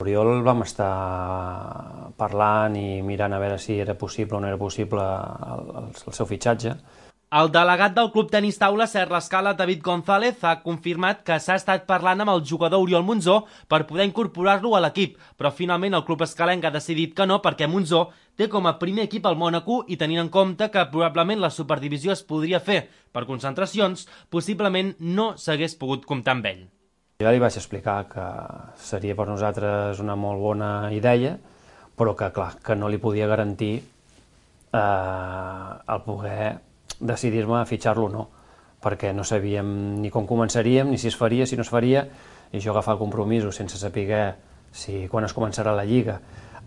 Oriol vam estar parlant i mirant a veure si era possible o no era possible el seu fitxatge. El delegat del Club Tenis Taula Serra Escala, David González, ha confirmat que s'ha estat parlant amb el jugador Oriol Monzó per poder incorporar-lo a l'equip, però finalment el club escalenc ha decidit que no perquè Monzó té com a primer equip el Mònaco i tenint en compte que probablement la superdivisió es podria fer per concentracions, possiblement no s'hagués pogut comptar amb ell. Ja li vaig explicar que seria per nosaltres una molt bona idea, però que, clar, que no li podia garantir el poder decidir-me a fitxar-lo o no, perquè no sabíem ni com començaríem, ni si es faria, si no es faria, i jo agafar compromisos sense saber quan es començarà la Lliga.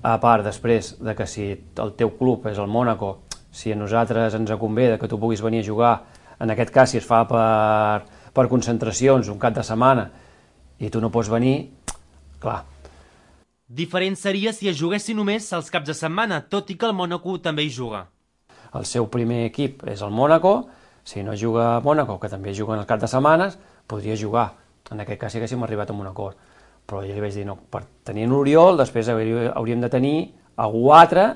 A part, després, de que si el teu club és el Mònaco, si a nosaltres ens convé que tu puguis venir a jugar, en aquest cas si es fa per concentracions un cap de setmana, i tu no pots venir, clar. Diferent seria si es juguessin només els caps de setmana, tot i que el Mònaco també hi juga. El seu primer equip és el Mònaco, si no juga a Mònaco, que també juguen els caps de setmanes, podria jugar. En aquest cas sí que haguéssim arribat a un acord. Però jo li vaig dir, no, per tenir un Oriol, després hauríem de tenir algú altre,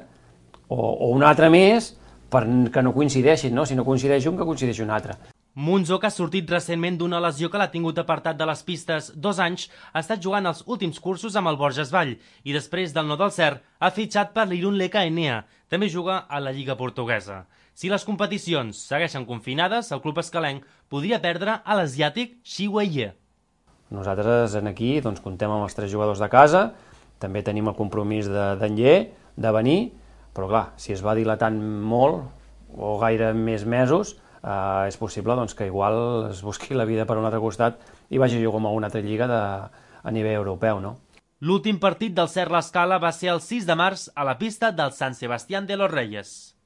o un altre més, perquè no coincideixin, no? Si no coincideix un, que coincideixi un altre. Monzó, que ha sortit recentment d'una lesió que l'ha tingut apartat de les pistes 2 anys, ha estat jugant els últims cursos amb el Borges Vall i després del no del cert ha fitxat per l'Irun Leka Enea. També juga a la Lliga Portuguesa. Si les competicions segueixen confinades, el club escalenc podria perdre a l'asiàtic Xi Weie. Nosaltres aquí comptem amb els 3 jugadors de casa, també tenim el compromís d'Enller, de venir, però clar, si es va dilatant molt, o gaire més mesos, és possible que igual es busqui la vida per un altre costat i vagi a jugar amb alguna altra lliga a nivell europeu, no? L'últim partit del Serra Escala va ser el 6 de març a la pista del San Sebastián de los Reyes.